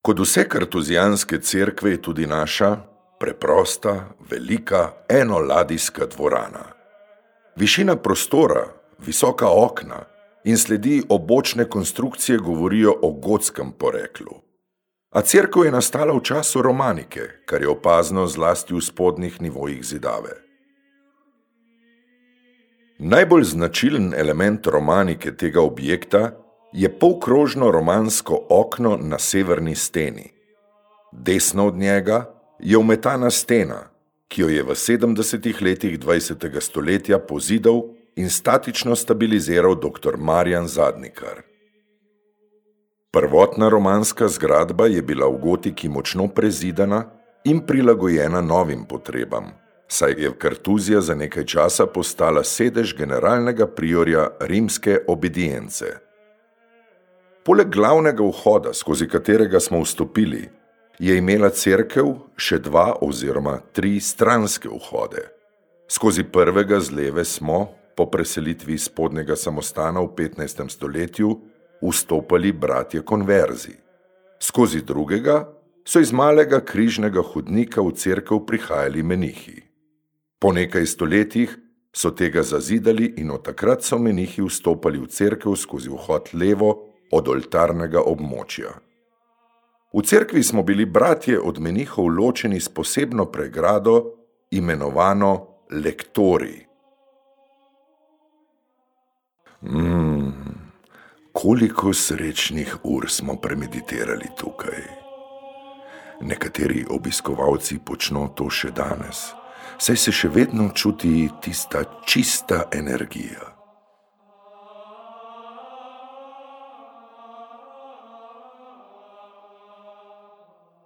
Kot vse kartuzijanske cerkve je tudi naša preprosta, velika, enoladijska dvorana. Višina prostora, visoka okna in sledi obočne konstrukcije govorijo o gotskem poreklu. A cerkev je nastala v času romanike, kar je opazno zlasti v spodnjih nivojih zidave. Najbolj značilen element romanike tega objekta je polkrožno romansko okno na severni steni. Desno od njega je umetana stena, ki jo je v 70. letih 20. stoletja pozidal in statično stabiliziral dr. Marjan Zadnikar. Prvotna romanska zgradba je bila v gotiki močno prezidana in prilagojena novim potrebam, saj je Kartuzija za nekaj časa postala sedež generalnega priorja rimske obedience. Poleg glavnega vhoda, skozi katerega smo vstopili, je imela cerkev še 2 oziroma 3 stranske vhode. Skozi prvega z leve smo, po preselitvi spodnjega samostana v 15. stoletju, vstopali bratje konverzi. Skozi drugega so iz malega križnega hodnika v cerkev prihajali menihi. Po nekaj stoletjih so tega zazidali in od takrat so menihi vstopali v cerkev skozi vhod levo od oltarnega območja. V cerkvi smo bili bratje od menihov ločeni s posebno pregrado, imenovano lektori. Koliko srečnih ur smo premeditirali tukaj. Nekateri obiskovalci počno to še danes, saj se še vedno čuti tista čista energija.